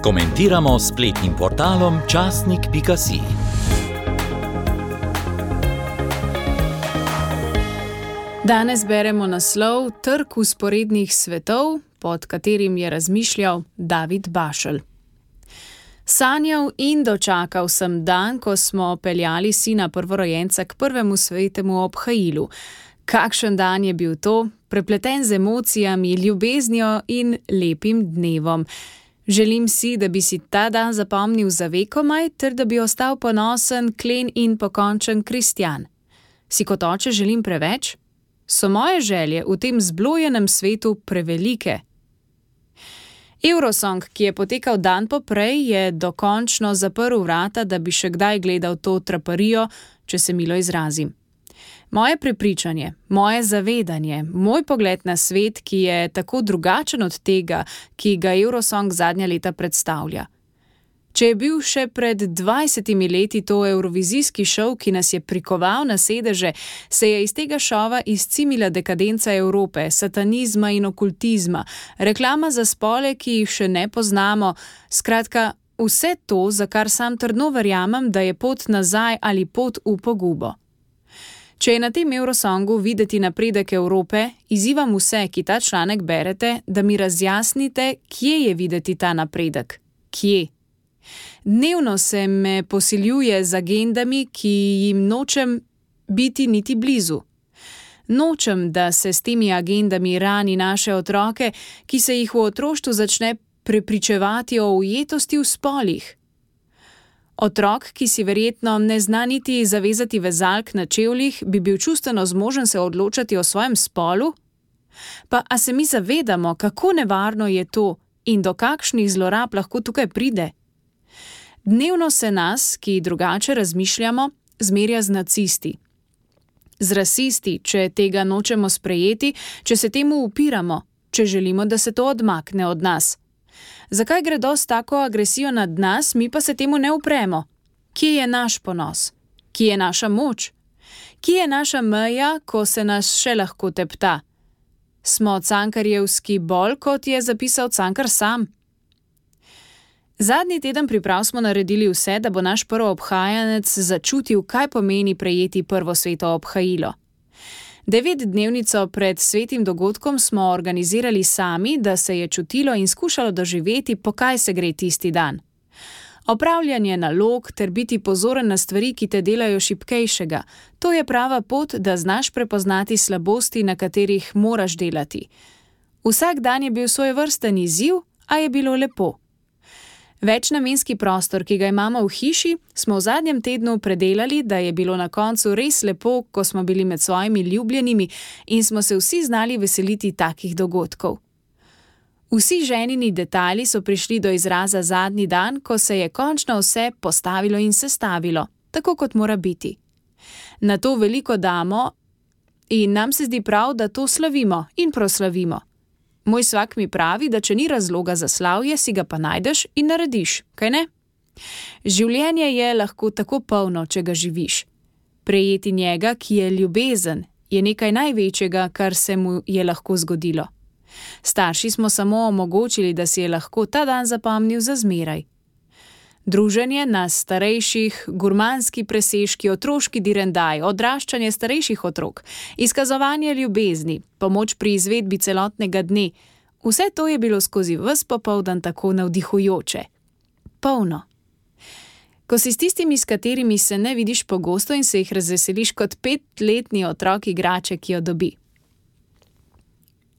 Komentiramo s spletnim portalom časnik.si. Danes beremo naslov Trg vzporednih svetov, pod katerim je razmišljal David Bašelj. Sanjal in dočakal sem dan, ko smo peljali sina prvorojenca k prvemu svetemu obhajilu. Kakšen dan je bil to, prepleten z emocijami, ljubeznijo in lepim dnevom. Želim si, da bi si ta dan zapomnil za vekomaj, ter da bi ostal ponosen, klen in pokončen kristjan. Si kot oče želim preveč? So moje želje v tem zblojenem svetu prevelike? Eurosong, ki je potekal dan poprej, je dokončno zaprl vrata, da bi še kdaj gledal to traparijo, če se milo izrazim. Moje prepričanje, moje zavedanje, moj pogled na svet, ki je tako drugačen od tega, ki ga Eurosong zadnja leta predstavlja. Če je bil še pred 20 leti to evrovizijski šov, ki nas je prikoval na sedeže, se je iz tega šova izcimila dekadenca Evrope, satanizma in okultizma, reklama za spole, ki jih še ne poznamo, skratka, vse to, za kar sam trdno verjamem, da je pot nazaj ali pot v pogubo. Če je na tem Eurosongu videti napredek Evrope, izzivam vse, ki ta članek berete, da mi razjasnite, kje je videti ta napredek. Kje? Dnevno se me posiljuje z agendami, ki jim nočem biti niti blizu. Nočem, da se s temi agendami rani naše otroke, ki se jih v otroštvu začne prepričevati o ujetosti v spolih. Otrok, ki si verjetno ne zna niti zavezati vezalk na čevljih, bi bil čustveno zmožen se odločati o svojem spolu? Pa a se mi zavedamo, kako nevarno je to in do kakšnih zlorab lahko tukaj pride? Dnevno se nas, ki drugače razmišljamo, zmerja z nacisti. Z rasisti, če tega nočemo sprejeti, če se temu upiramo, če želimo, da se to odmakne od nas. Zakaj gredo s tako agresijo nad nas, mi pa se temu ne upremo? Kje je naš ponos? Kje je naša moč? Kje je naša meja, ko se nas še lahko tepta? Smo cankarjevski bolj, kot je zapisal Cankar sam? Zadnji teden priprav smo naredili vse, da bo naš prvoobhajanec začutil, kaj pomeni prejeti prvo sveto obhajilo. 9-dnevnico pred svetim dogodkom smo organizirali sami, da se je čutilo in skušalo doživeti, po kaj se gre tisti dan. Opravljanje nalog ter biti pozoren na stvari, ki te delajo šibkejšega, to je prava pot, da znaš prepoznati slabosti, na katerih moraš delati. Vsak dan je bil svojevrsten izziv, a je bilo lepo. Večnamenski prostor, ki ga imamo v hiši, smo v zadnjem tednu predelali, da je bilo na koncu res lepo, ko smo bili med svojimi ljubljenimi in smo se vsi znali veseliti takih dogodkov. Vsi ženini detajli so prišli do izraza zadnji dan, ko se je končno vse postavilo in sestavilo, tako kot mora biti. Na to veliko damo in nam se zdi prav, da to slavimo in proslavimo. Moj svak mi pravi, da če ni razloga za slavje, si ga pa najdeš in narediš, kaj ne? Življenje je lahko tako polno, če ga živiš. Prejeti njega, ki je ljubezen, je nekaj največjega, kar se mu je lahko zgodilo. Starši smo samo omogočili, da si je lahko ta dan zapomnil za zmeraj. Druženje nas starejših, gurmanski presežki, otroški direndaj, odraščanje starejših otrok, izkazovanje ljubezni, pomoč pri izvedbi celotnega dne, vse to je bilo skozi ves popoldan tako navdihujoče. Polno. Ko si s tistimi, s katerimi se ne vidiš pogosto in se jih razveseliš kot 5-letni otrok igrače, ki jo dobi.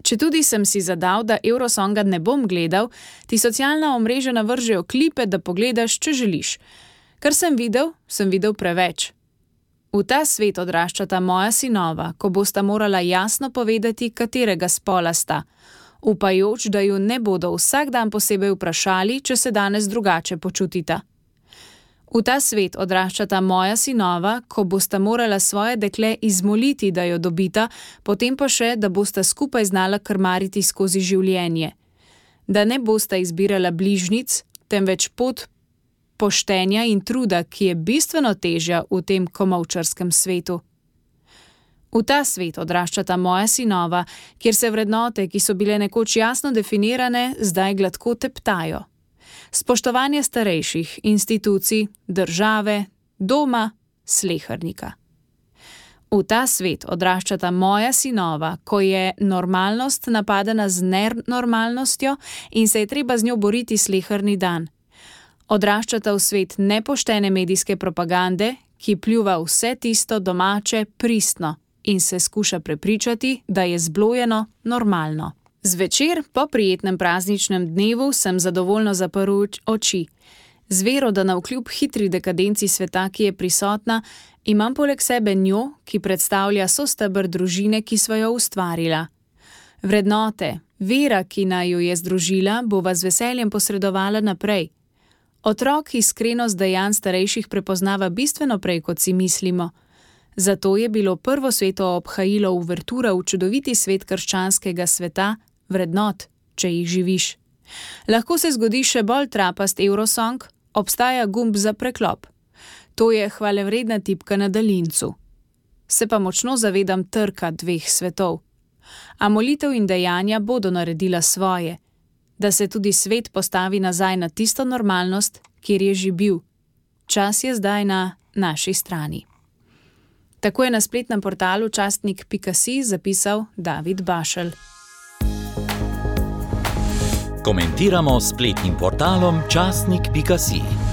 Četudi sem si zadal, da Eurosonga ne bom gledal, ti socialna omrežja navržejo klipe, da pogledaš, če želiš. Kar sem videl preveč. V ta svet odraščata moja sinova, ko bosta morala jasno povedati, katerega spola sta, upajoč, da ju ne bodo vsak dan posebej vprašali, če se danes drugače počutita. V ta svet odraščata moja sinova, ko bosta morala svoje dekle izmoliti, da jo dobita, potem pa še, da bosta skupaj znala krmariti skozi življenje. Da ne bosta izbirala bližnjic, temveč pot poštenja in truda, ki je bistveno težja v tem komolčarskem svetu. V ta svet odraščata moja sinova, kjer se vrednote, ki so bile nekoč jasno definirane, zdaj gladko teptajo. Spoštovanje starejših, institucij, države, doma, slehernika. V ta svet odraščata moja sinova, ko je normalnost napadena z nenormalnostjo in se je treba z njo boriti sleherni dan. Odraščata v svet nepoštene medijske propagande, ki pljuva vse tisto domače pristno in se skuša prepričati, da je zblojeno normalno. Zvečer, po prijetnem prazničnem dnevu, sem zadovoljno zaprl oči. Z vero, da navkljub hitri dekadenci sveta, ki je prisotna, imam poleg sebe njo, ki predstavlja sosteber družine, ki sva jo ustvarila. Vrednote, vera, ki naj jo je združila, bova z veseljem posredovala naprej. Otrok iskrenost dejanj starejših prepoznava bistveno prej, kot si mislimo. Zato je bilo prvo sveto obhajilo uvertura v čudoviti svet krščanskega sveta, vrednot, če jih živiš. Lahko se zgodi še bolj trapast Eurosong, obstaja gumb za preklop. To je hvalevredna tipka na daljincu. Se pa močno zavedam trka dveh svetov. A molitev in dejanja bodo naredila svoje, da se tudi svet postavi nazaj na tisto normalnost, kjer je že bil. Čas je zdaj na naši strani. Tako je na spletnem portalu častnik.si zapisal David Bašelj. Komentiramo s spletnim portalom častnik.si.